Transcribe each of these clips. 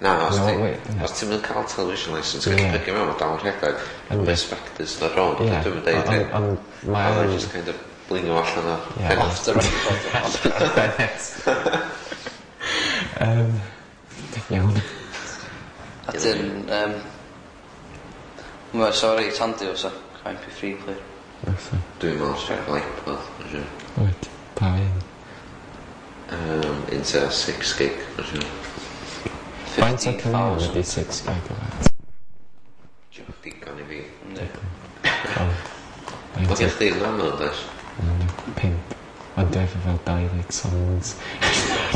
Na, os No, ti... wait, na. Os ti'n mynd cael television licence, Ie. gallu pigio mewn, mae dal yn rhedeg. Yndi. Mae spectors na rong, Ie, dwi'n mynd deud hyn. Ond mae Oedd o'n... e just kind of blingo allan o... Ie. Off the record. Iawn. A dyn, mae so reit handi o sa, MP3 player. Fysa. Dwi'n meddwl sy'n cael iPod, mae'n siŵr. Wyt, pa un? Un tua 6 gig, mae'n siŵr. Faint o caneuon 15,000. ydi 6 gigabyte? Digon i fi. Yndi. O. Mae gen chdi nano, does? 5. Ond dwi efo fel 20 songs.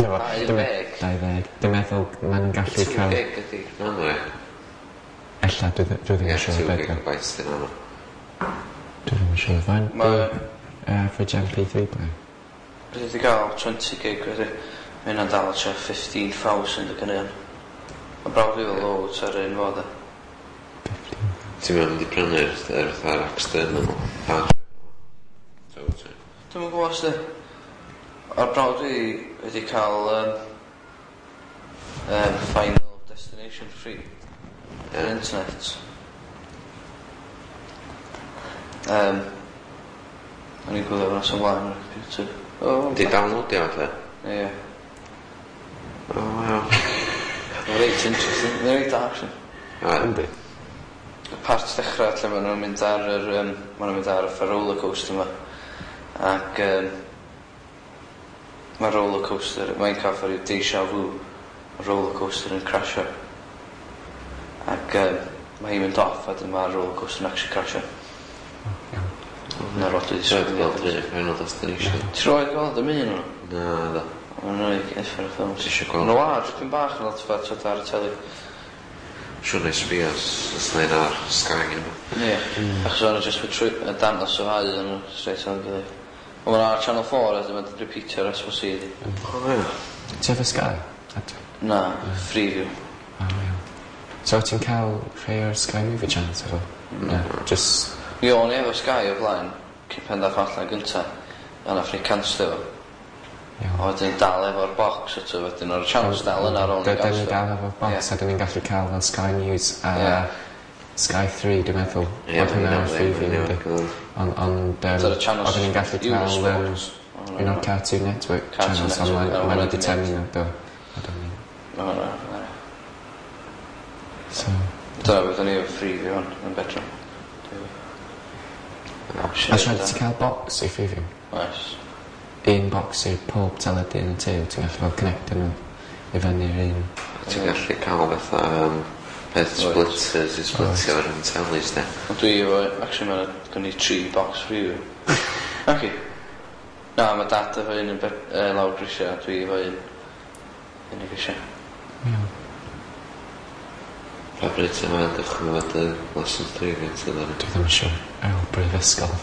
Na fo, 20? 20. Dwi'n meddwl maen nhw'n gallu 2 cael... gig ydi nano, ie. Ella, dwi ddim Ie, yn siŵr 2 beth yw. gigabytes di nano. Dwi ddim yn siŵr. Faint Ma- di average MP3 player? Beth wedi gael 20 gig wedi. Mae hynna'n dal tua 15,000 o caneuon. Mae brawd fi efo loads ar un fo de. 15. Ti'n mynd i prynu'r yr fatha'r external hard drive? So, ti? Dwi'm yn gwybod os di. O'r brawd fi wedi cael Final Destination free. Yr internet. O'n i'n gwylio fo'n ymlaen ar y computer. Oh, Di downloadio fatha? Ie. Oh, wow. Mae'n reit interesting. Mae'n reit da, actually. A, Yndi. Y part dechrau lle maen nhw'n mynd ar yr, maen nhw'n mynd ar y roller coaster yma. Ac mae roller coaster, mae'n cael rhyw deja vu, mae roller coaster yn crasio. Ac mae hi'n mynd off a dyn mae'r roller coaster yn actually crasio. Iawn. Na'r lot wedi Ti'n gweld yr Final Destination? Ti roed gweld y un o'n? Na, da. Mae'n rhaid uffern o ffilms. Ti isio gweld? Mae'n war, dipyn bach yn lot fat ar y teli. Siwr na i sbio os os na un ar Sky yma. Ie. Achos o'n just trwy y dangos o ddau yn straight on gilydd. Ond mae'n ar Channel 4 a dwi'n repeatio ar S4C di. O, ie. Ti efo Sky? Adre? Na, Freeview. O, iawn. So ti'n cael rhai o'r Sky Movie Channels efo? Na. Just... Mi o'n i efo Sky o blaen, cyn pen dath allan gynta. A nath ni canslo fo. Iawn. A wedyn dal efo'r box eto, wedyn o'r channels dal yna ar ôl ni Dyn ni ganslo. dal efo box Ie. a dyn ni'n gallu cael fel Sky News a Ie. Sky 3 dwi'n meddwl. Ie, Oedd hwnna ar ma' hynna'n Freeview ddim, yndi. ie. Ond Dyna'r channels oedden ni'n gallu cael Eurosport. un o'r Cartoon Network Cartoon channels ond Network, maen o, nhw wedi hwnna tynnu di nhw, do. A do ni. Ma' hwnna, na. So, Dyna beth o'n i efo Freeview hwn, yn bedroom. a siarad ti cael box i Freeview? Oes. Un box i pob teledu yn y tŷ, wyt ti'n gallu fel connectio nhw i fyny'r un. Ti'n gallu cael fatha peth splitters i splitio ar yn telis, de. Ond dwi efo, actually mae'n gen i tri box Freeview. Naci. Na, mae dad efo un yn lawr grisiau, a dwi efo un yn y grisiau. Iawn. Pa bryd ti'n meddwl dechrau fod y lesson 3 fi ti ddod? Dwi ddim yn siŵr. Ar ôl brifysgol.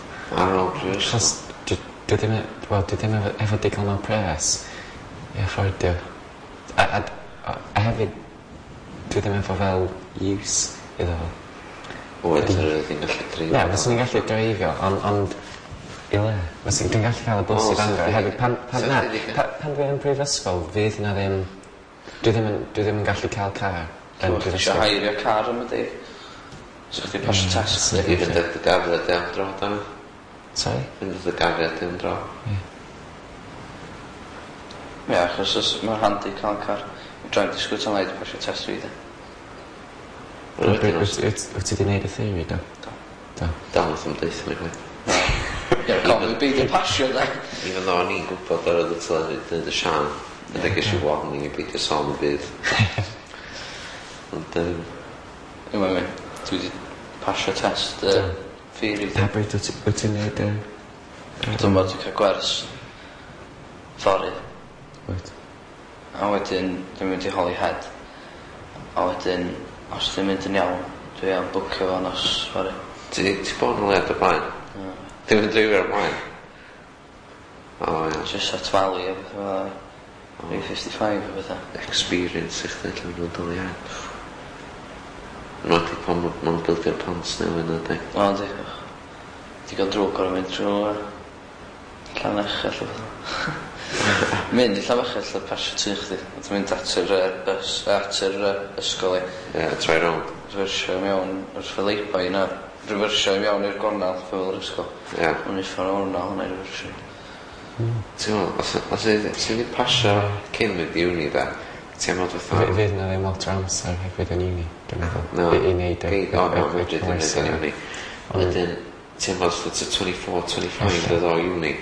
Ar ôl brifysgol? Achos dwi ddim, wel, dwi ddim efo digon o pres i affordio. A hefyd, dwi ddim efo fel use iddo fo. Oed yr ydyn gallu dreifio. Ie, fyswn i'n gallu dreifio, ond i le? Fyswn dwi'n gallu cael y bws O, i Bangor. Hefyd, pan, sa na, chdi 'di pan dwi yn prifysgol, fydd na ddim, dwi ddim yn gallu cael car yn So, chdi eisiau prifysgol. hairio car am y di. So chdi pasio test. I fynd at dy gariad am dro, da. Sorry? Fynd at dy gariad am dro. Ie. Ie, achos mae'n handi cael car. Dwi'n disgwyl tan i pasio test fi, de. Wedyn os- Wyt ti 'di neud y theori, do? Do. Do. Dal wrth ymdeithio ni chwaith. Ie, cofio beidio pasio, de. Even though o'n i'n gwybod ar y teledu dweud y Sian, ydy ges i warning i beidio sôn y byd. Ond, Ie, mae'n mynd. Dwi wedi pasio test theori. Pa bryd wyt ti'n neud y... Dwi'n bod yn cael gwers fory. Wyt. A wedyn dwi'n mynd i Holyhead. A wedyn, os dwi'n mynd yn iawn, dwi am bwcio fo nos fory. Ti bod yn lead o blaen? Ti'n mynd dreifio o'r blaen? O, ie. Just at Valley a beth fel 'na. 355 a bethau. Experience i chdi lle maen nhw'n dod i iawn. Yn wedi pan maen nhw'n bildio'r pont newydd na, di. O, yndi. Digon drwg o'r mynd trwy Llannerch a bethau. Mynd i Llanfechell a pasio tŷ chdi. A ti'n mynd at yr bus, at yr ysgol i. Ie, troi rownd. Refersio i mewn wrth y lay-by yna. Refersio i mewn i'r gornel fel yr ysgol. Ie. Mae'n uffar o'r na hwnna i refersio. Ti'n meddwl, os ti'n di pasio cyn mynd i uni da, ti'n meddwl fatha... Fydd na ddim lot o amser hefyd yn uni, dwi'n meddwl. No. I wneud y O, no, fedri di wneud yn uni. Wedyn, ti'n meddwl fatha 24, 25 dod o uni.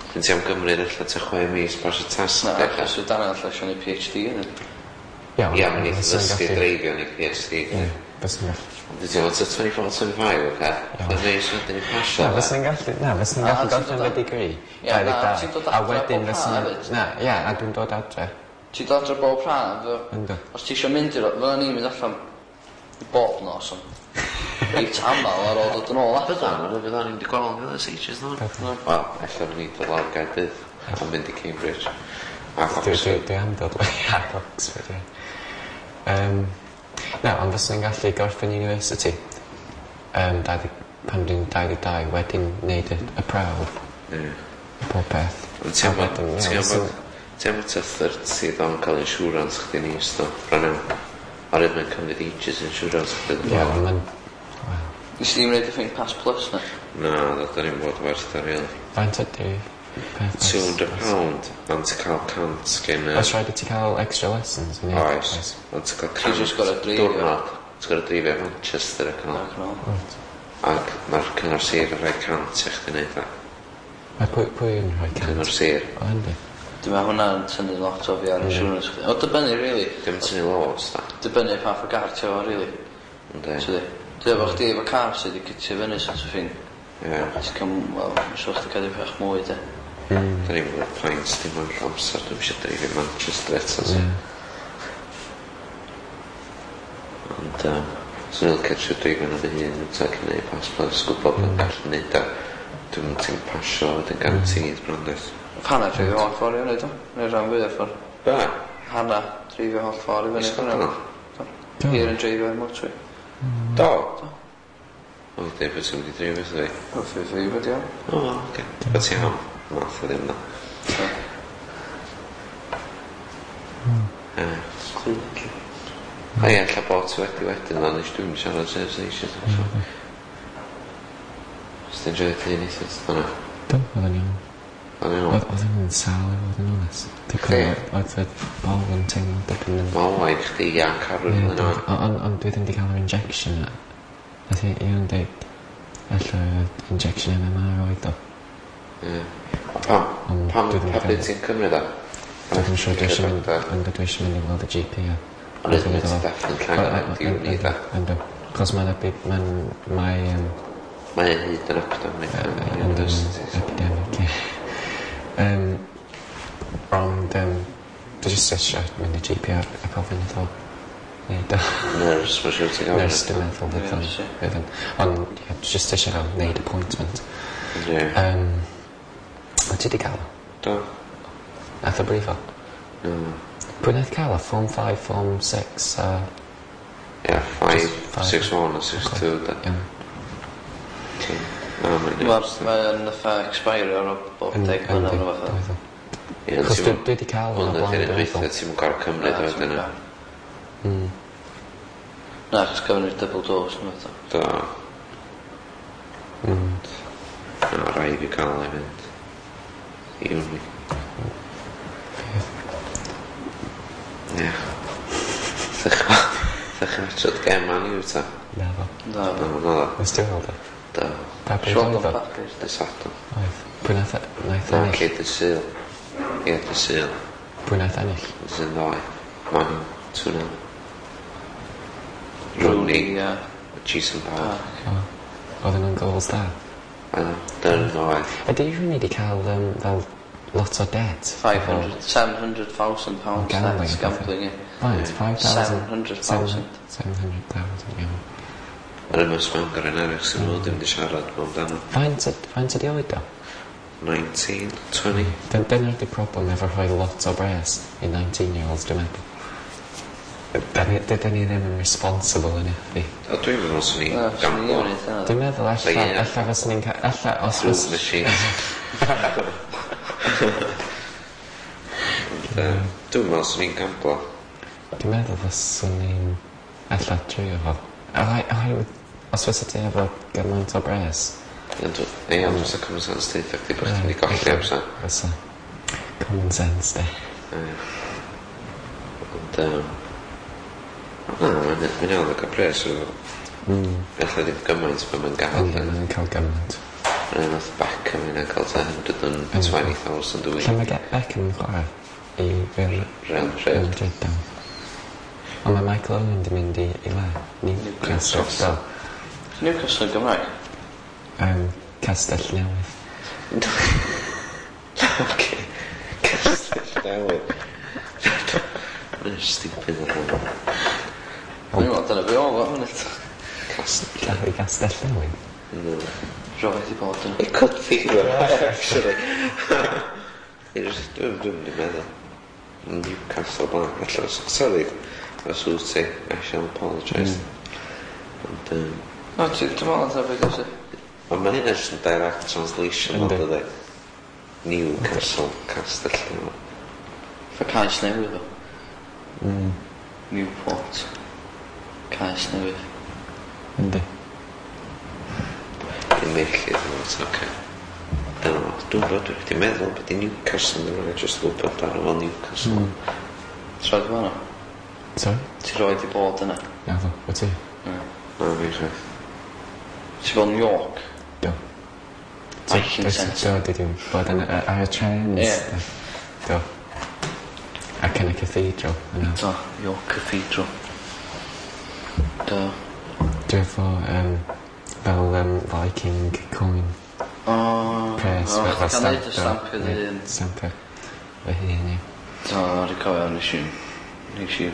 Dwi'n ti am gymryd ella tua 6 mis pasio test. Na, achos y dan allan eisiau neud PhD yn. Ie, Ie, mae'n eitha ddysgu dreifio yn ei PhD. Ie, fyswn i'n gallu. Dwi'n teimlo tua 24, 25, oce? Dwi'n neis wedyn i pasio. Na, fyswn i'n gallu, na, fyswn i'n gallu gorffen fy degree. Ie, na, ti'n dod A adre wedyn bob fyswn haf i'n... hefyd. Na, ie, a dwi'n dod adre. Ti'n dod adre bob haf, Yndw. Os ti eisiau mynd i'r... Fydda ni'n mynd allan bob nos, ond reit amal ar ôl dod yn ôl adre. Byddan, ond fyddan ni'n wedi gweld yn ers ages no. Wel, ella fydden ni'n dod lawr Gaerdydd a mynd i Cambridge. Ac Oxford. Dwi am dod ac Oxford, ie. Na, ond fyswn i'n gallu gorffen university. Pan dwi'n 22, wedyn neud y prawf. Ie. Pob peth. Ond ti'n am tua 30 ddo'n cael insurance chdi'n is ddo, bron iawn. Oherwydd mae'n cymryd ages insurance chdi. Ie, ond mae'n... Nes i ddim wneud y thing Pass Plus na? Na, dda ni'n bod werth ar really. Faint ydy peth? £200, ond ti'n cael 100 gen... Oes rhaid i ti cael extra lessons? Oes, ond ti'n cael 100 diwrnod. Ti'n gorfod dreifio Manchester ac yn ôl. Ac mae'r cyngor sir yn rhoi 100 i chdi wneud o. Mae pwy yn rhoi 100? Cyngor sir. O, yndi. Dwi'n meddwl hwnna'n tynnu lot o fi ar insurance chdi. O, dibynnu, really. Dim tynnu loads, da. Dibynnu pa fath o gar ti efo, really. Yndi. Dwi efo chdi efo car sydd wedi cytio fyny sort of thing. Ie. Ti'n cael, wel, mae'n siŵr chdi cael bach mwy, de. Da ni'n mynd pint, dim ond amser, dwi'n eisiau dreifio Manchester eto. Ie. Ond, swn i'n licio trio dreifio yn fy hun, ta cyn neud Pass Plus, gwybod bod yn gallu neud o. Dwi'n mynd ti'n pasio, wedyn guaranteed bron does. Hanna dreifio holl ffordd i fyny, do? Neu rhan fwy o'r ffordd. Be? Hanna dreifio holl ffordd i fyny. I Sgotland? Do. Hir yn dreifio i'r motorway. Do? O, dweud bod ti'n mynd i dreifio wrtho fi. O, fi fi wedi iawn. O, wel, oce. Bod ti am? Math o ddim na. Ie. O ie, ella bod ti wedi wedyn, ond nes dwi'n siarad sef eisiau. Os ti'n joio ti neithio, dyna. Do, oedd yn iawn. Oedd yn iawn. Oedd yn sâl i fod yn onest. Dwi'n cofio, oedd y bol yn teimlo dipyn yn... Wel, waith chdi ia carwyn yn yna. Ond dwi ddim wedi cael yr injection na. Nath i Ian deud, ella injection MMR oedd o. Ie. A pam? Pam, pa bryd ti'n cymryd o? Dwi'n ddim siŵr, dwi eisiau mynd, ond dwi eisiau mynd i weld y GP a... Ond ydyn nhw'n definitely angen mynd i uni da. Yndw. Cos mae'n mae... Mae'n hyd yn epidemic. Epidemic, ie. Ond dwi jyst eisiau mynd i GP a gofyn iddo neud o. Nurse, mae'n siŵr ti'n gofyn. Nurse, dwi'n meddwl fydd o'n. Ond ie, dwi jyst eisiau fel neud appointment. Ie. Wyt ti wedi cael o? Do. Nath o brifo? No. Pwy nath cael o? Form 5, Form 6 a... Ie, 5, 6, 1 a 6, 2 da. Iawn. Mae'n fatha expire ar bob 10 mlynedd neu fath. Ie, Achos dwi wedi cael hwnna blaen. Hwnna di'r un dwytha ti'm yn gorfod cymryd o wedyn. Na, achos gafon ni'r double dose neu fath. Do. Na, rhaid fi cael ei fynd. I uni. Ie. Ddech chi'n watchad gem Man U ta? Naddo. Naddo. Naddo. Nes ti weld o? Do. Pa bryd oedd o? Dy Sadwrn. Oedd. Pwy nath ennill? Na, lle dy Sul. Ie, dy Sul. Pwy nath ennill? Sy'n ddoe. Man U, 2-0. Rooney. Jason Park. Oedden nhw'n goals da? Dyna oedd. Ydy Rooney wedi cael fel lot o debt? £700,000 debt gambling, ie. Faint? 5,000? 700,000. 700,000, iawn. Yr ymwys Bangor yn eraill sy'n nhw ddim wedi siarad mewn amdano. Faint ydi oed o? 19, 20. Dyna'r di problem efo rhoi lot o bres i 19-year-olds, dwi'n meddwl. Dydyn ni ddim yn responsible yn fi. O, dwi'n meddwl swn i'n gamblo. Dwi'n meddwl ella fyswn i'n cael... Ella os Fruit machines. Ond dwi'n meddwl swn i'n gamblo. Dwi'n meddwl fyswn i'n ella trio fo. Oherwydd, os fysa ti efo gymaint o bres. Ond ie, ond fysa common sense deud chdi bod chdi'n mynd i golli amser. Fysa. Common sense, de. Ie. Ond, na, mae'n iawn o gael pres o. Ella ddim gymaint be mae'n gael. Yndi, mae'n cael gymaint. Mae'n nath Beckham yna cael ta 120,000 a week. Lle mae Beckham yn chwarae? I Real Real Madrid. Real Madrid, do. Ond mae Michael Owen di mynd i le? Newcastle. Do. Newcastle yn Gymraeg? Castell Newydd. Oce. Castell Newydd. Mae'n stupid o hwnna. Dwi'n meddwl dyna be oedd o, munud. Castell. Lle Castell Newydd? No. Roedd i bod yn. It could be though, actually. Dwi'n mynd i meddwl. Newcastle blaen. Allan, sorry. Os wyt ti, I shall apologise. Ond, No, dwi'n meddwl dyna beth yw'n. Ond mae hynna jyst yn direct translation, Yndi. ond ydy. Newcastle, Castell Newydd. Fa Caes Newydd o. Newport. Caes Newydd. Yndi. Dim felly, ddim yn oce. Dyna fo. Dwi'n bod, dwi wedi meddwl bod i Newcastle yn rhaid jyst gwybod ar ôl Newcastle. Ti roed i bod yna? Sorry? Ti roed i bod yna? Naddo, wyt ti? Na. Na, fi chwaith. Ti bod yn York? Do. Viking Centre. Do, dwi wedi bod yn ar y trains. Ie. Do. Ac yn y cathedral yna. Do, York Cathedral. Do. Dwi efo fel Viking coin O, press. o, fel chdi gael neud y stamp iddi hun. Stamp fy hun, ie. Do, rhaid cofio, nes i fi.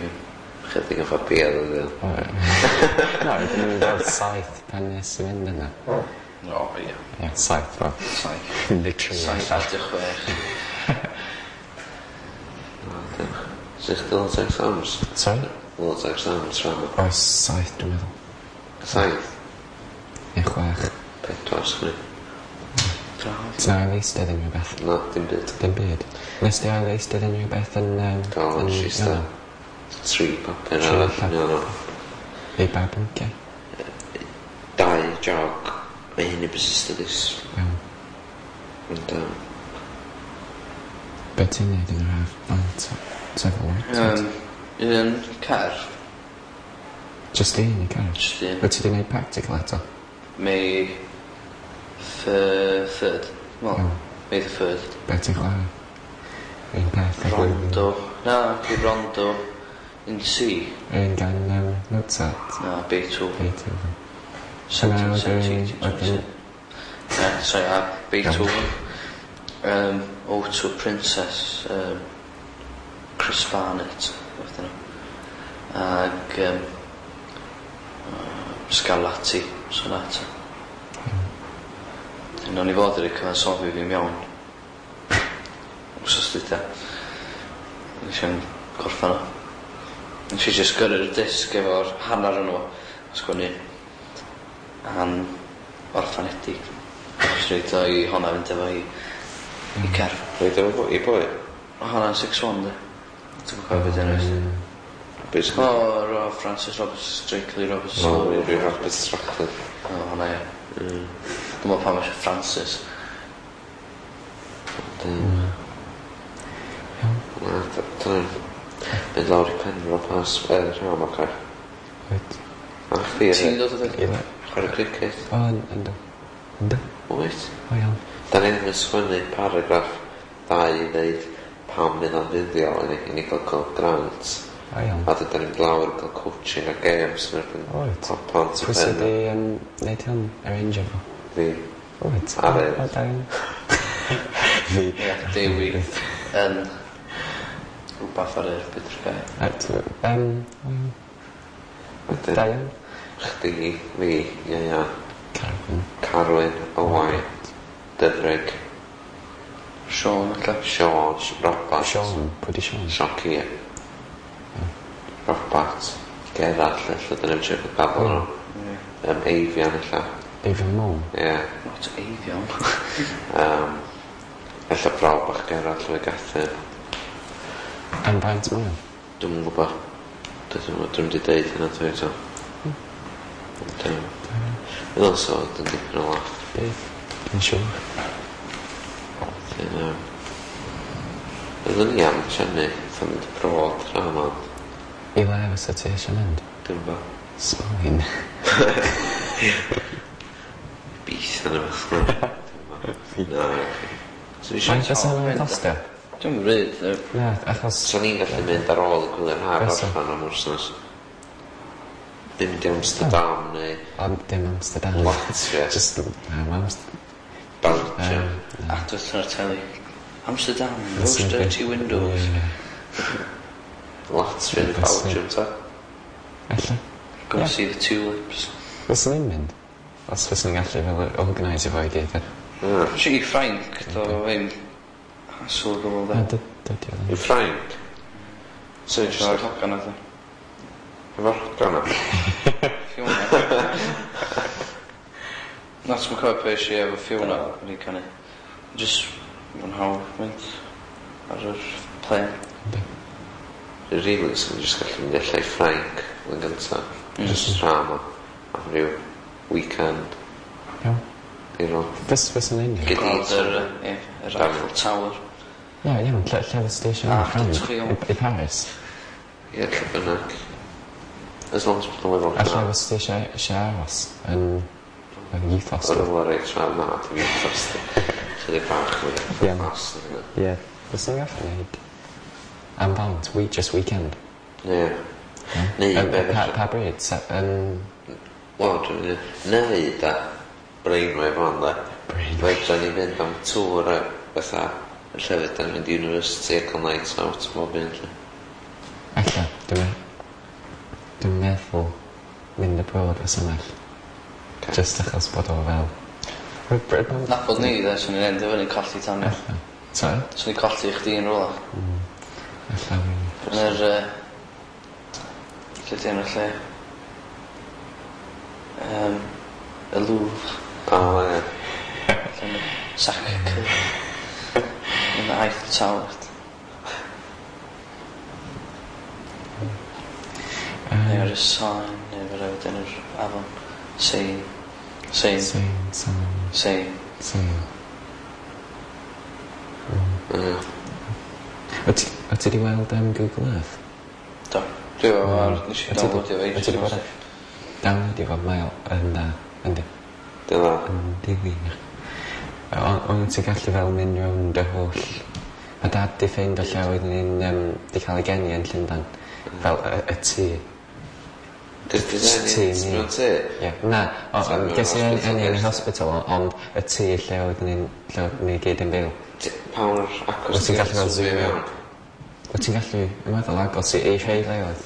Chydig o ffabiad oedd o. Na, rydyn ni'n fel 7 pan nes i fynd yna. O, ie. Ie, 7, wel. 7. Literally. 7 at 6. Sut chdi lot o exams? Sorry? Lot o exams rhan o. Oes 7, dwi'n meddwl. 7? Neu 6. 4, sgwni. Ti'n ail eistedd unrhyw beth? Na, dim byd. Dim byd. Nes di ail eistedd unrhyw beth yn... Do, nes i eistedd. 3 papur Tri arall. papur. No, no. I ba bynciau? 2 jog. Mae hyn i business studies. Iawn. Ond, Be ti'n neud yn yr haf? Faint? Sefyl lot? Un car. Just un i car? Just un. Wyt ti wedi neud practical eto? May third. Well, Iawn. May the 3rd. Be ti'n chwarae? Un peth a blwyddyn. Rondo. Na, di Rondo. In C. Un gan Mozart. Na, Beethoven. Beethoven. Hwnna oedd yr- 1770. Sorry, a Beethoven. O2 Princess. Chris Barnett. Fath yna. Ag Scarlatti Sonata. Mm. O'n i fod i'r cyfansoddi fi mewn wsos dwytha. Nes i'n gorffan o. Nes i just gyrru'r disg efo'r hanner yn o a sgwennu an orffanedig. Nes i roid o i honna fynd efo i cer. Roid o i boi? O honna 6-1 de. Dwi'n cofio beth enw hi. Beth O, ro, Francis Roberts, Drakely Roberts. O, rhyw Roberts Rockley. O, honna ie. Dwi'n meddwl pam eisiau Francis. Na, dyna... Mynd lawr i Penfro pas, rhan o'r car. Wyt. A chdi Ti'n dod o ddod? I le? Chwarae cricket. O, ynddo. Ynddo? Wyt. O, iawn. Da ni ddim yn sgwennu paragraff 2 i ddeud pam fydd o'n fuddiol i ni gael grant. O, iawn. A dyn ni'n mynd lawr i gael coaching a games yn erbyn Wyt. plant y Pwy sydd pen. wedi neud hwn? Arrangeo fo? Fi. Wyt. Ar y- O, da iawn. Fi. Ie, Dewi yn rhywbeth ar yr byd drwy gael. A, o, iawn. Wedyn, Da iawn. Chdi, fi, Iaia, Carwyn. Carwyn, Owain, Dyfrig, Sean, alla. Sean, Robert. Sean. Pwy di Sean? Sean Keir. Robert, Gerallt, ella, dyna ni'n siarad gafel nhw. Eifion, ella. David Moore. Ie. Not Eifion. Ella brawd bach Gerallt, Llwy Gathin. Am faint mae o? Dwi'm yn gwybod. Dwi'm 'di deud hynna wrtha fi eto. Ond fydd o'n sort yn dipyn o laff. Bydd. Dwi'n siŵr. Wedyn Oeddwn i am trefnu fatha mynd abroad tro 'ma ond I le fysa ti eisiau mynd? Dwi'm 'bo. Sbaen. Ibiza ne' wbath. Dwi'm 'bo. Na. Swn i isio Faint fysa hwnna'n costio? Dwi'm ryd yy. Na, achos... Swn i'n gallu mynd ar ôl y gwylia'r haf Fysa. orffan am wsnos. Mynd i Amsterdam neu Ond dim Amsterdam. Latvia. Just, na, ma' Amst- Belgium. Advert ar y teli. Amsterdam, That's most not dirty good. windows. Ie. Latvia neu Fysa. Belgium ta. Ella. Go Ie. see the tulips. Fyswn i'n mynd. Os fyswn i'n gallu fel organise fo i gyd. Ie. Si i Ffrainc, do ddim hassle o gwbl Na, de. dydy o I ddim. Ffrainc? Swn i Efo'r jyst hogan oedd o. efo'r hogan o. Fiona. Na, ti'n cofio pe eisiau efo Fiona wedi canu. Just mwynhau mynd ar yr plane. Yndi. Really, swn i jyst gallu mynd ella i Ffrainc yn gynta. Just tra yma. Am ryw weekend. Iawn. Diddorol. Fyswn i'n mynd. Gyd i Gweld yr, ie, yr Eiffel Tower. Ie, iawn. Lle fysa ti eisiau mynd? Ah, Ffrainc? trio. I Paris? Ie, lle bynnag. As long as bod nhw'n A efo lle fysa ti eisiau aros? Yn yn youth O'r hostel? rhywle reit tra na, dim youth hostel. Chydig bach mwy Ie. fast na hynna. Ie. Fyswn i'n gallu neud am faint? We, just weekend. Ie. Neu Yym, be Pa, felly. pa bryd? Yn Wel, dwi'n mynd. Neu da, brainwave o'n da. Brainwave. Fedra ni fynd am tŵr a fatha y llefydd da ni'n mynd i university a cael night out bob un lle. Ella, dwi'n meddwl mynd abroad fysa well. Ocê. Just achos bod o fel... Nabod ni, de, swn i'n endio fyny colli Tanya. Ella. Sorry? Swn i'n colli chdi yn rhywle. Ella fi... Yn yr... Lle di enw'r lle? Y Louvre. O, ie. Lle mae Sacre-Cœur. Yn y Eiffel Tower. Neu ar y Seine, neu fe rhaid yn yr afon. Seine. Seine. Sein, sein, Seine. sein. Ie. Wyt ti wedi weld Google Earth? Do. Dwi efo ar... Nes i Wyt ti 'di- downloadio fe. wyt ti 'di bod ar downloadio fo? Mae o yn dda, yndi. Dyna. Yndi wir. Ond ti'n gallu fel mynd rownd y holl... Mae dad di ffeind o lle oeddwn ni'n di cael ei geni yn Llundain. Fel y tŷ. Cos Tŷ ti ni. mewn tŷ? Ie. Na, Ti'n mewn ges i hospital eni yn y first? hospital, ond y tŷ lle oeddwn ni'n... lle oeddwn ni gyd yn byw. Pa mor agos Wyt ti'n gallu fel zoomio zoomio? mewn? Wyt ti'n gallu, yn meddwl, agos i rhai leoedd.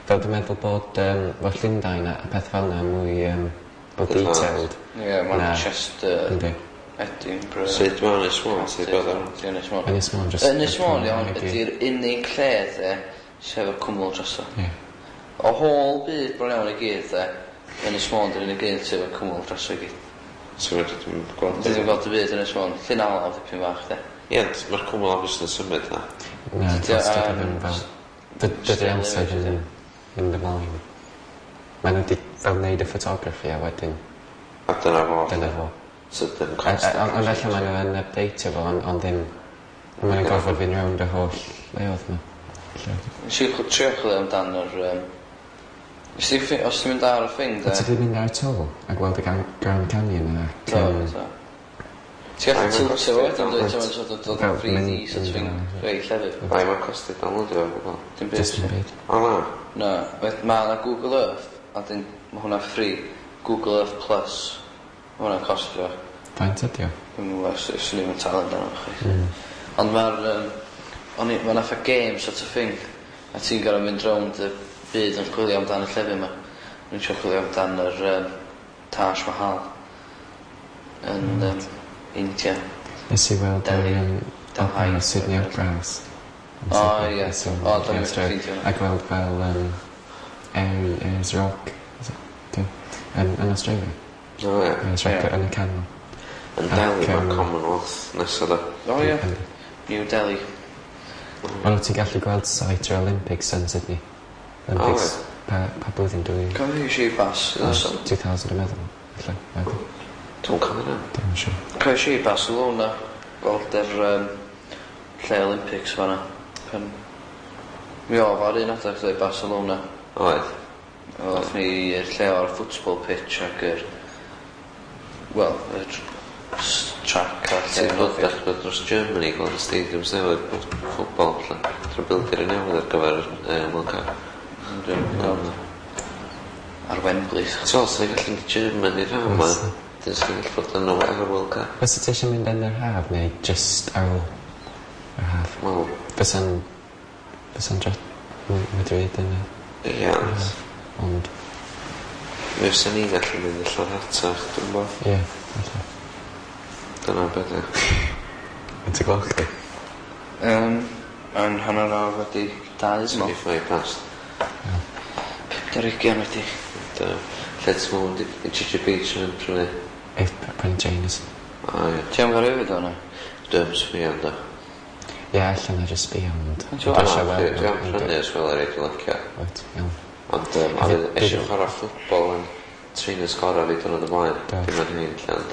Fel dwi'n meddwl bod fel Llundain a peth fel yna mwy fel Advanced. detailed. Ie, Manchester, Yndi. Edinburgh. Sut mae Ynys Môn? Sut bod o'n... Di Ynys Môn. Ynys Môn just... Ynys Môn, iawn, ydy'r unig lle, de, sydd efo cwmwl drosto. Ie. O holl byd bron iawn i gyd, de, Ynys Môn dy'r unig un sydd efo cwmwl drosto i gyd. So dwi'n gweld... Dwi ddim gweld y byd Ynys Môn. Llyn Alaw dipyn bach, de. Ie, ond mae'r cwmwl obviously yn symud na. Na, Dydy o, os dydy o ddim fel... Dydy still amser image, ddim yn mynd ymlaen. Maen nhw wedi fel neud y photography a wedyn A dyna fo. dyna fo. So dim Ond felly maen nhw yn updateio fo, ond ddim... Maen nhw'n gorfod fynd rownd y holl leoedd yma. Nes i trio chwilio amdan yr... Nes i os ti'n mynd ar y thing, de... Wyt ti wedi mynd ar y toll a gweld y Grand Canyon ac... Do, do. Ti'n gallu Ai, mae'n tiltio costio fo wedyn, dwyt, download. ti'n sort of dod Fel yn 3D mynd- sort of thing, mynd- rei llefydd. Bai, mae'n costio downloadio fo gwbl. Dim byd. Just yn byd. O na. Na, mae yna Google Earth, a dyn, mae hwnna free. Google Earth Plus, mae hwnna'n costio. Faint ydi o? Dwi'm yn gwybod os swn i'm yn talu amdano fo chwaith. Ond mae'r... O'n i, mae'n fatha game sort of thing. A ti'n gorfod mynd rownd y byd yn chwilio amdan y llefydd yma. O'n i'n trio chwilio amdan yr Taj Mahal yn India. Nes i weld yr Delhi. Delhi. Opera, Sydney Opera House. Yn O, Sydney. ie. Nes i O, do'n i'm weld wedi ffeindio hwnna. A gweld fel Ayers Rock. Is it? Do. Yn Australia. O ie. Ayers Rock Ie. yn y canol. Yn Delhi Ac, mae Commonwealth nesa da. O ie. New Delhi. Ond wyt ti'n gallu gweld site yr Olympics yn Sydney. Olympics. O, Pa blwyddyn dwi... Cofio fi i Barcelona. 2000 dwi'n meddwl. Ella, meddwl. Dwi'n cofio na. Dwi'n yn siŵr. Cofio i Barcelona. Gweld yr lle Olympics fan'na. Pan... Mi oedd ar un adeg dweud Barcelona. Oedd. Oedd ni i'r lle o'r football pitch ac yr... Wel, yr track a'r lle Ti'n bod nofio. dechrau dros Germany gweld y stadiums newydd ffwbol lle. Dwi'n bildir y newydd ar gyfer World Cup. Dwi'n gweld ar Wembley. Ti'n meddwl, sy'n gallu mynd i Germany rhan yma? Dyn sy'n gallu bod yn ar y World Cup. Fysa ti eisiau mynd yn yr haf neu just ar ôl yr haf? Wel, Fysa'n dre... Madrid yn y ie, ond haf. Ond, mi fysa ni gallu mynd i rhatach, dwi'n bo. ie, falle. Dyna beth e. Yn ti gloch chdi? Yn 2:30, dwi'n meddwl. 25 past. 25 wedi. Lle ti'n meddwl mynd i Gigi Beach yn prynu? Eith prynu trainers. O ie. Ti am gael rhywbeth o'na? Dwi'n sbio am da. Ie, allan na just sbio, ond... Ti'n Dwi eisiau weld Dwi am nhw, prynu as well ar ei dwi'n licio. Wyt, iawn. Ond oedd eisiau chwarae ffwtbol yn trainers gorau fi dwrnod ymlaen. Do. Dim yn hyn lle, ond...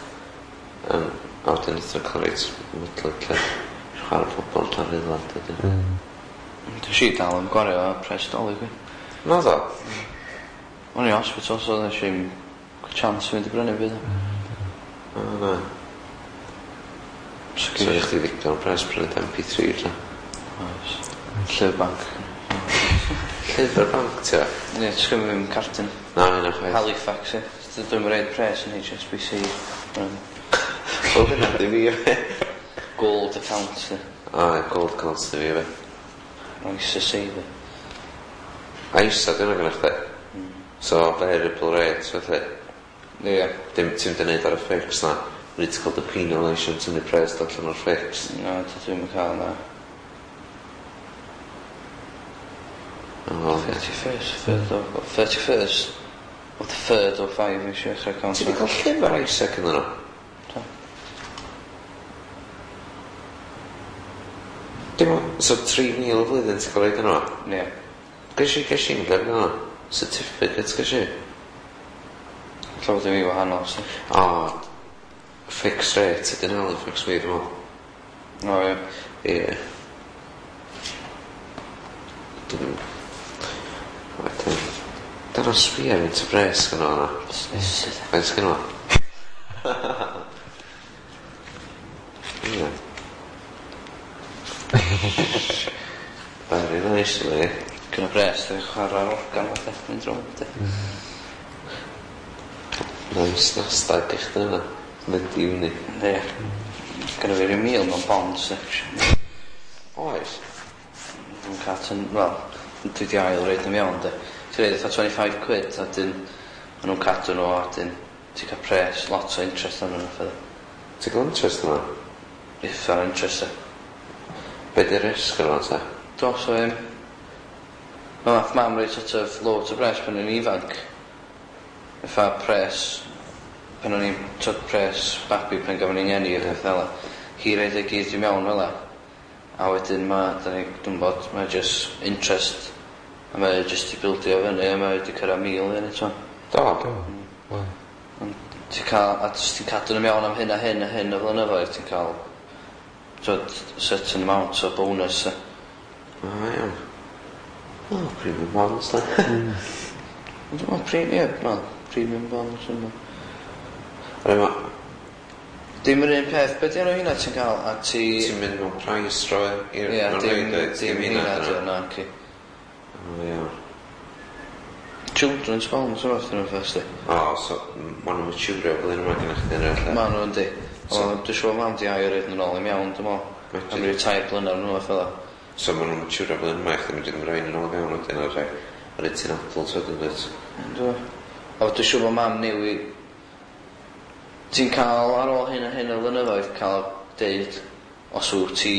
A wedyn wnaeth o'n cael reit mwydlyd lle. Chwarae ffwtbol tan ddilad ydyn. Dwi'n si dal yn gwario a pres dolyg fi. Na ddo? O'n i hospital, so nes i'm chance i fynd i brynu byd. O na. So So eich chi ddigon o pres prynu MP3 lle. Oes. Llyfr banc. Llyfr banc ti o? Ie, ti'n gymryd fi'n cartyn. Na, yna chwaith. Halifax, ie. Dwi'n reid pres yn HSBC. O, hynna di fi fe. Gold account, ie. O, gold account di fi fe. ISA saver. A ISA, dyna gynnwch chdi? So, variable rate, felly. Ie. Dim ti'n mynd i neud ar y fix na. Rydw ti'n cael dy penalisation tynnu pres allan o'r fix. Na, dwi ddim yn cael na. O, oce. 31st, 3rd of... 31st of the 3rd o 5 eisiau eich account. Ti wedi cael llyfr ISA cyn nhw? Do. Dim ond, so 3,000 y flwyddyn ti'n cael reid yno? Ie. Ges i'n llyfr yno? Certificate ges i? Llawer dim i wahanol, so. O, fixed rate ydy'n Halifax fi, dwi'n meddwl. O, ie. Ie. Dwi'n... Wedyn... Dyna sbio ar un bres gyda o'na. Busnes. Faint sgynno fo? Ie. Very nice, li. Gyda pres, dwi'n chwarae'r organ fatha, mynd rownd, de. Nice Nasdaq i chdi yna. Mynd i fyny. Ie. Gyda fi ryw mil mewn bond section. Oes. Dwi'n cael tyn, wel, dwi di ail reid yn iawn, de. Ti'n reid fatha 25 quid, a dyn, ma' nhw'n cadw nhw, a dyn, ti'n cael pres, lot o interest arnyn nhw, fatha. Ti'n cael interest yna? Uffar interest, e. Be di risg yna, ta? Do, so, ma' nath mam roi sort of loads o bres pan o'n i'n ifanc. Fatha pres, pan o'n i'n, tyd, pres babi pan gafon ni'n ngeni a peth fel 'a. Hi roid e gyd i mewn fel 'a. A wedyn ma', da ni, dwi'n bod, mae just interest, a mae just i bildio fyny, a mae wedi cyrraedd 1,000 yn eto. Do. Do. Wel, Ond ti'n cael, a jyst ti'n cadw nhw mewn am hyn a hyn a hyn o flynyddoedd, ti'n cael, tyd, certain amount o bonus. e. O, iawn. O, premium bonds, da. Ond dwi'n meddwl, ie, wel, premium bonds yn Rhaid ma, Dim yr un peth, be di enw hynna ti'n cael, a ti... ti'n mynd mewn price droi i'r... Ie, mewn dim, rhaid, oed? dim hynna, dyn di nhw? o, na, ci. O, iawn. Children's bonds, o'r fath nhw'n first, di. O, so, ma' nhw'n maturio blwyddyn yma gyda chdi yn yr lle. Ma' nhw yndi. O, dwi'n siŵr mam di ail roed nhw'n ôl i mewn, dwi'n meddwl. Am ryw 3 blynedd nhw, fath o. So ma' nhw'n maturio blwyddyn yma, i chdi mynd i rhaid yn ôl fewn wedyn ar ar y ti'n adult wedyn, dwyt? Yndw. O, dwi'n siŵr bod mam newi... Ti'n cael ar ôl hyn a hyn o flynyddoedd cael deud os wyt ti...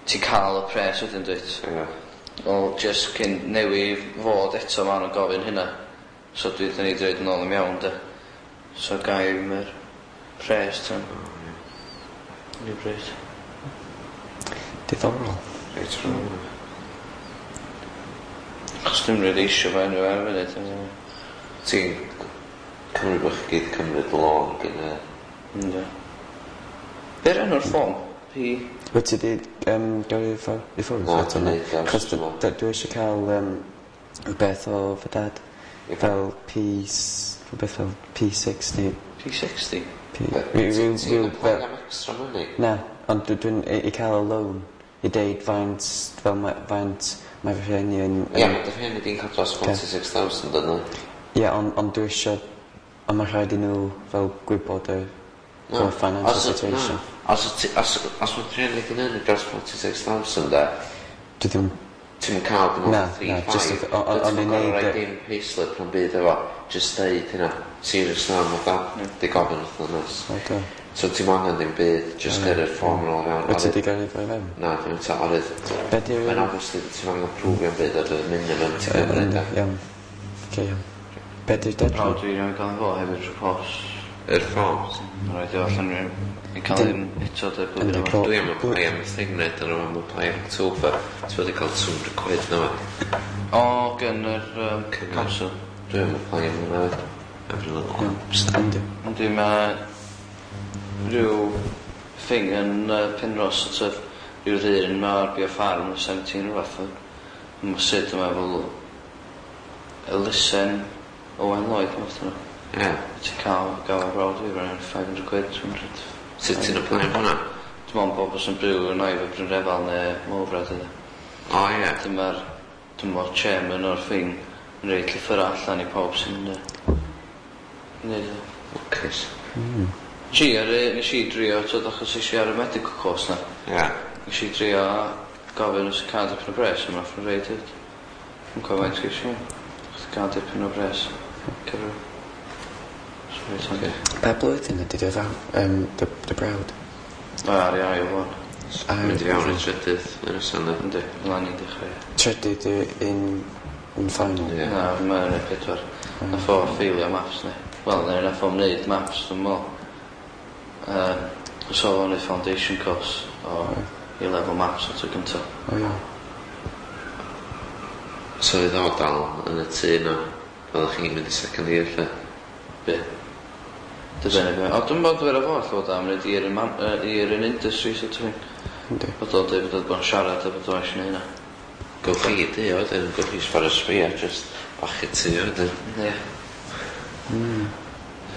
Ti'n cael y pres wedyn, dwyt? Ie. Wel, just cyn newi fod eto ma' nhw'n gofyn hynna. So dwi dyn ni dweud yn ôl i mewn, de. So gai mae'r pres tan. Rhywbryd. Diddorol. Reit wrong. Achos dwi'm rili eisio fo anyway ar y funud. Ti'n cymryd bod chi gyd cymryd lôn gyn y... Yndw. Be'r enw'r ffôn? P... Wyt ti 'di gyrru i ffwrdd Na, eto dwi'n neud o Achos wrth ymyl. dwi eisiau cael rhywbeth o fy dad. Ie. Fel P... rhywbeth fel P60. P60? P... Ti'n Rhyw apply fel... am extra money? Na, ond dwi'n i cael y loan. I deud faint, fel faint mae fy rhieni yn... Ie, mae dy rhieni di'n cael dros 46,000 yna. Ie, ond dwi eisiau... Ond mae rhaid i nhw fel gwybod y fel financial situation. Na, os mae dy rhieni di'n ennill dros 46,000 de, Dwi ddim... ti'n cael dim Na, ond na, 3.5. jyst ond Ti'n i gorfod neud rhoi dim payslip na'n byd efo. Just deud hynna. Serious na, mae dad di gofyn wrth nes. Oce. So ti'n angen ddim byd, just gyrru'r fform yn ôl fewn. Wyt ti 'di gyrru fo i fewn? Na, dwi'n ta, orydd. Be 'di'r... Mae'n obviously ti'n angen prwfio am byd ar y minimum ti'n gymryd. De. Iawn. Oce, iawn. Be 'di'r Brawd deadline? fi newydd gael fo hefyd trwy post. Yr forms. Mae'n rhaid i allan i cael un eto dy blwyddyn Yndi, yma. Dwi am apply am y thing neu, dyn nhw am apply am October. Ti wedi cael 200 quid na fe. O, gen yr council. Dwi am apply am hwnna fyd. Every little helps. Yndi. Yndi, mae rhyw thing yn Penrhos, sort of, rhyw ddyn ma ar Bio Farm yn 17 rhywbeth. Mae sut yma fel elusen Owen Lloyd, math yna. Ie. Ti'n cael gael brawd fi, rhan 500 quid, 200. Sut ti'n apply am hwnna? Dwi'n meddwl bobl sy'n byw yn Aifo Brynrefail neu Mowbray ydy. O ie. Dyma'r, dwi'n meddwl, chairman o'r thing yn rhoi llythyrau allan i pawb sy'n neud o. Lwcus. Nes i ar, nes i drio, twyd, achos es i ar y medical course na. Ie. Nes i drio gofyn os y cael dipyn o bres, a nath nhw reid it. Dwi'n cofio faint ges i. Os y cael dipyn o bres. Cyfro. So reit handi. Pa blwyddyn ydy dy dy brawd? Mae ar ei ail wan. Ail Mynd i fewn i trydydd yn y yna. Yndi, mlaen i'n dechrau. Trydydd yn final? Ie. Na, mae'n ei pedwar. Nath o ffeilio maths ni. Wel, neu nath o'm neud maths, dwi'n meddwl. So o'n neud foundation course o A-level maths o tro gynta. O iawn. So fydd o dal yn y tŷ yna. Byddwch chi'n mynd i second year lle. Be? Dibynnu be. O, dwi'n bod fel fo, lle bod am wneud year in, year in industry sort of thing. Yndi. Bod o'n dweud bod o'n siarad a bod o'n eisiau neud hynna. Gwch chi i dŷ wedyn, gwch chi sbaro sbio, just bach i tŷ wedyn. Ie.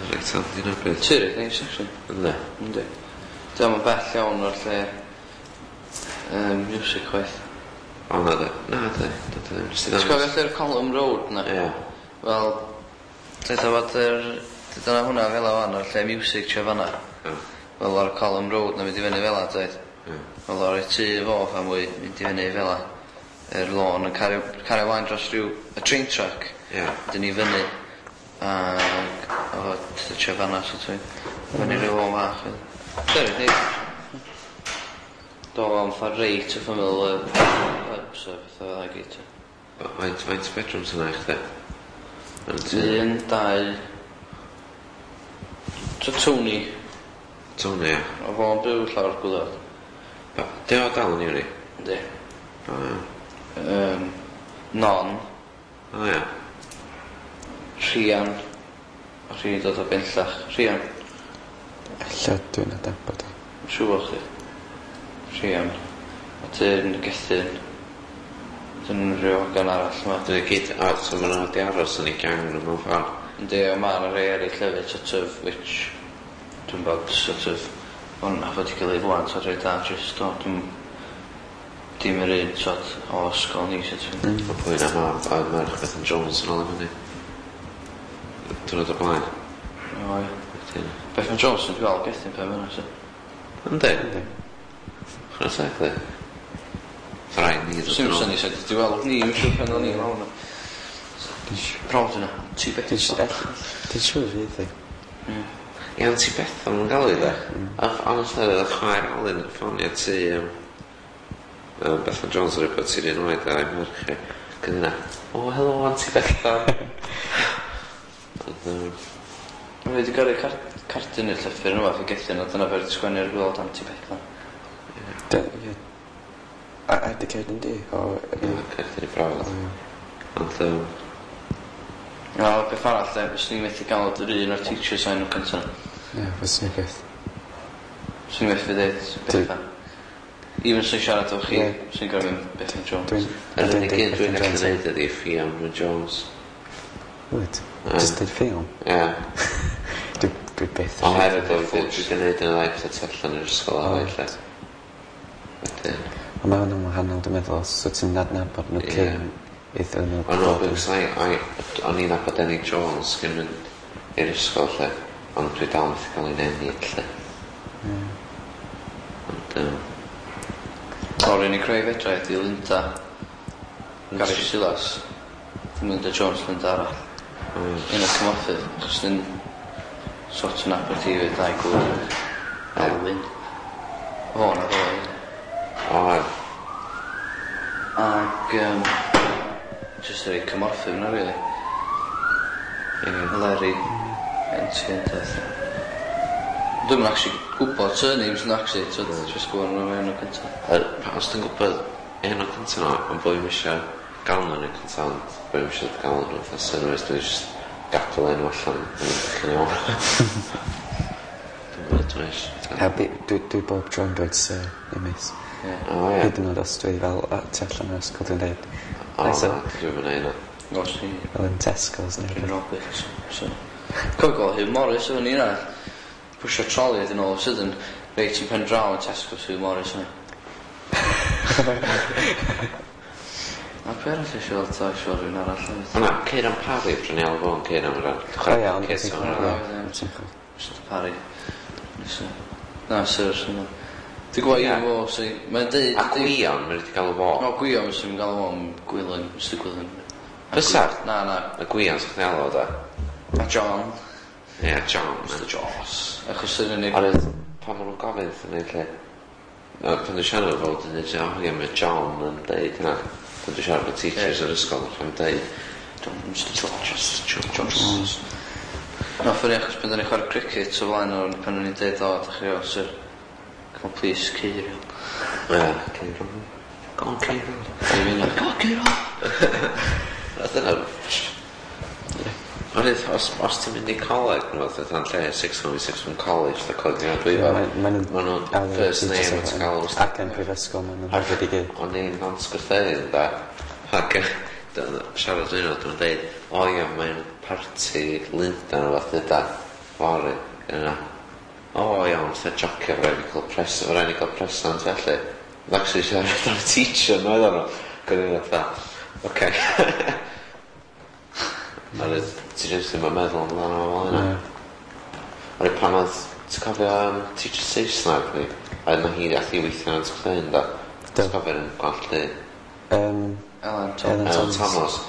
Reit handi na beth. Tŷ reit neis, actually. Yndi. Yndi. Dwi'n yn bell iawn o'r lle music chwaith. O na de. Na de. Na de. Nes i Ti'n cofio lle'r Column Road na? Ie. Wel, dweud o fod yr... Dyna hwnna fel o fan, o'r lle music tre fanna. Ie. Wel, o'r Column Road na mynd i fyny fel a, dweud. Ie. Wel, o'r tŷ fo fan mwy, mynd i fyny fel a. Yr lôn yn cario ymlaen dros rhyw... Y train track. Ie. Dyn ni fyny. Ac o tre fanna, so dwi'n... Fyny rhyw lôn fach. Dyna, neis. Do, o'n ffa reit wrth ymyl y pubs a pethau fel 'na gyd. Faint bedrooms yna i chdi? Yn y tŷ? Un, dau... So Tony, Tony, ie. o fo'n byw llawr gwylod. Di o dal yn uni? Yndi. O ie. Non, O ie. Rhian. O Rhian dod o Benllach. Rhian, Ella dwi'n adnabod o. yn siŵr bod chdi. Rhian. A dyn Gethin. Dyn rhyw hogan arall yma. Dyna gyd, o, so maen nhw wedi aros yn ei gang nhw mewn ffordd. Yndi, o ma' 'na rei eraill hefyd, sort of, which dwi'n bod, sort of, hwnna fod i gilydd ŵan, sort of, reit da, just, o, dwi'n dim yr un, sort, o ysgol ni, sort of. Mae pwy na ma, a merch Bethan Jones yn ôl i fyny. Diwrnod o blaen. O, ie. Wedyn. Bethan Jones yn gweld Gethin pe fyna, so. Yndi? Chwarae teg di. Rhaid ni ddod Sim yn ôl. syni sut di weld ni, mae'n siŵr pan o'n i lawr yna. Prawd yna, ti beth. Dwi'n siŵr fydd i. Ie, ond ti Bethan yn gael ei dde. Honestly, oedd y chwaer Alun yn ffonio ti Bethan Jones yn rhywbeth ti'n un oed a'i merch i. Gyda yna, o, helo, Auntie Bethan. Ond, Mae wedi gyrru cardyn i'r llythyr nhw fath i Gethin, a dyna fe wedi sgwennu ar gweld Auntie Bethan. Ie. A di Caerdydd di? O, Ie, Caerdydd i brawd. Ond, Na, beth arall, de, fyswn i'n methu gael yr un o'r teachers enw cynta. Ie, fyswn i byth. Swn i'n methu dweud Bethan. Even sy'n siarad efo chi, swn i'n gorfod mynd Bethan Jones. Dwi'n... Yr unig un dwi'n gallu neud ydi Fiona Jones. Wyt? Just dweud Fion? Ie. Dwi byth. Ond hefyd oedd dwi wedi gwneud yn dda pethau tu allan yr ysgol a felly. Wedyn. Ond mae hwnna'n wahanol, dwi'n meddwl, os wyt ti'n adnabod nhw cyn iddyn nhw Ond no, because o'n i'n nabod Enid Jones cyn mynd i'r ysgol lle, ond dwi dal methu cael ein Enid lle. Ond, O'r unig rhai fedra ydi Linda, Gary Silas, Linda Jones, Linda arall. Un o'r cymorthydd, achos dyn sort of nabod hi fyd a'i gŵr. Alwyn. O, na fo. O, ie. Ac, just yr ei cymorthydd yna, really. Larry, NT and. Dwi'm yn actually gwybod surnames yn actually, so just gwybod nhw'n enw cyntaf. Os ti'n gwybod enw cyntaf nhw, ond boi eisiau gael nhw'n enw cyntaf, ond boi eisiau gael nhw fatha surnames, dwi'n just gadael enw allan yn chi'n iawn. Dwi'n gwybod dwi'n eisiau. A dwi bob tro'n dweud sir i miss. O, ie. Hyd yn oed os dwi fel tu allan o'r ysgol dwi'n dweud. O, Hi, sir. na, dwi'n mynd hynna. Os ni, Fel yn Tesco's neu dwi'n rhywbeth. Roberts. So. Cofio gweld Hugh Morris efo ni yna. Pwysio troli iddyn all of a sudden, reit yn pen draw yn Tesco's Hugh Morris yna. A pe arall eisiau weld ta, eisiau weld rhywun arall hefyd. O na, Ceiran Parry, prynu alw fo'n Ceiran rhan. O ie, ond Ceiran ti'n Parry. ie, ti'n chwarae. Mr Parry. Nesa. Na, sir, sir. Dwi'n gwybod un fo, sy'n... Mae'n deud... A Gwion, mae'n wedi galw fo. O, Gwion, sy'n galw fo'n Gwilym, Mr Gwilym. Fysa? Na, na. Y Gwion, sy'n chdi alw fo, da? A John. Ie, John. Mr Joss. Achos sy'n unig... Ond pan maen nhw'n gofyn wrthyn ni, lle... No, pan dwi'n siarad efo, dwi'n dweud, o, ie, mae John yn deud hynna. Pan dwi'n siarad efo teachers yr ysgol, mae'n deud, John, Mr Joss. Mr Joss. Jones. No, ffyni achos pan dyn ni'n chwarae cricket o flaen o'r pan o'n i'n deud, o, dach chi o, sir. Come on, please, Ceirion. Ie, Ceiron. Go on, Ceiron. Dwi'n mynd, go on, Ceirion! A dyna... Ond os ti'n mynd i coleg, nhw, fatha yn lle, sixth form i sixth form college, da coleg ni'n dwi fel. Maen nhw'n Ma' nhw'n first name o't gael. Ac yn prifysgol, maen nhw'n hefyd i gyd. O'n i'n Nant Gwrtheyrn, da. Ac siarad dwi'n nhw, dwi'n deud, o ia, mae'n parti Lundain o fath da, fory, yna. O iawn, fatha jocio, fe rhaid i cael pres, fe rhaid i cael presant felly. Ond actually siarad am teacher, no, oedden nhw. Gwyd i'n fatha, oce. A ti jyst ddim yn meddwl amdano fo fel yna. Oherwydd pan oedd, ti'n cofio teacher Saesneg ni? A yna hi ath i weithio yn Nant da. Ti'n cofio'r yn gwallt du? Ellen Ellen Thomas. Ellen Thomas.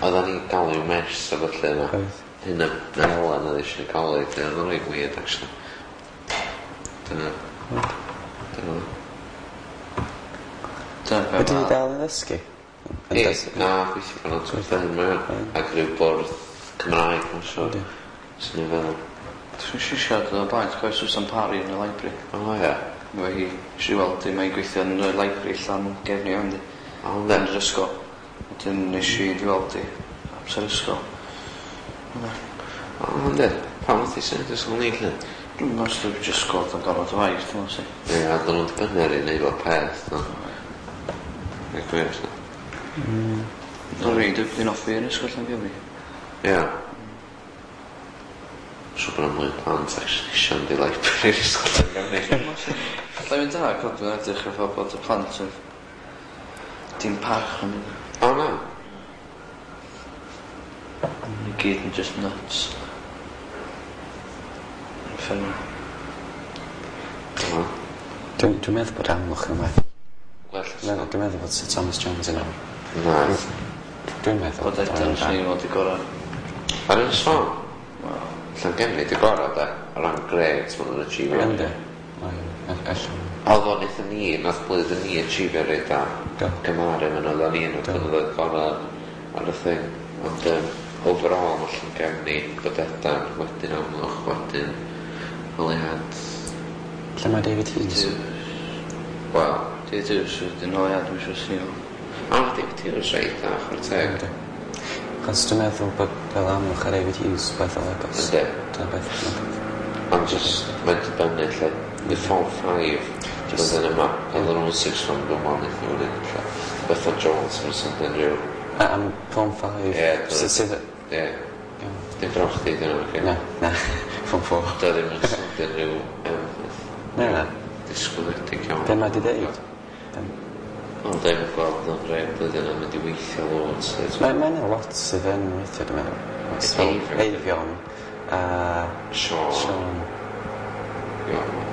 Oedden ni'n galw miss a felly yna. Oedd. Hyn y Ellen oedd eisiau coleg, oedd o'n reit weird actually. Dyna. Dyna. Dyna be Ydy hi ma' dal yn ddysgu? Yn Ie, dysgu? na, gweithio fan Nant Gwrtheyrn mae o. Ac rhyw bwrdd Cymraeg, mae'n siŵr. Yndi. Swn i'n feddwl. Dwi'n eisiau siarad o blaen, ti'n cofio Susan Parry yn y library? O ie. Efo hi, eisiau weld hi, mae'n gweithio yn y library Llangefni o'n di. O, yndi. Yn yr ysgol. Wedyn nes i di weld hi amser ysgol. Yna. O, yndi. Pam oedd hi symud ysgol ni, lle? Dwi'n meddwl os dwi'n just gweld yn gorfod o waith, dwi'n meddwl. Ie, a dyn nhw'n dibynnu ar ei wneud fel peth, no. Ie, gwir, no. Dwi'n rhaid, dwi'n offi yn ysgol Llangefni. Ie. Siŵr bod yna mwy o plant actually eisiau mynd i library i'r ysgol Llangefni. Alla i fynd yna, cod dwi'n edrych efo bod y plant yn dim parch yn mynd. O, na. I gyd yn just nuts. Uffernol. O, Dwi'n meddwl bod Amlwch yn well. Well, Dwi'n meddwl bod Sir Thomas Jones yn awr. Na. Dwi'n meddwl Bod Edan, swn i'n fod i gorau. Ar Ynys Môn? Wel, Llangefni di gorau, de. O ran grades, maen nhw'n achievio. Yndi. Allan. Oedd o'n eitha ni, nath blwyddyn ni achievio reit da. Do. Gymaru, maen nhw'n ni yn y Do. blynyddoedd gorau ar y thing. Ond overall, mae Llangefni, Bodedern, wedyn Amlwch, wedyn Holyhead. Lle mae David Hughes? Wel, David Hughes, wedyn, o ia, dwi'n siŵr sy'n iawn. O, David Hughes, reit, da, chwarae teg. Yndi. Achos dwi'n meddwl bod fel aml chwarae David Hughes weddol agos. Yndi. Dyna beth. Ond just, mae'n dibynnu, lle. Di Form 5, blwyddyn yma, oedden nhw'n 6 form dwi'n meddwl, wnaeth nhw'n un, lle. Bethan Jones, mae'n swnio'n rhyw. A am Form 5. Ie, Sydd... Ie. Dim bron chdi, dyn nhw, Na, na. Form 4. Dio ddim yn swnio'n rhyw Na, na. Disgwyliedig iawn. Be mae di ddeud? Ond ddim yn gweld yn rhai blwyddyn yn mynd i weithio loads. Mae ma yna lot sydd yn weithio, dwi'n meddwl. Oes, fel Eifion. Eifion. A Sean. Sean. Iawn.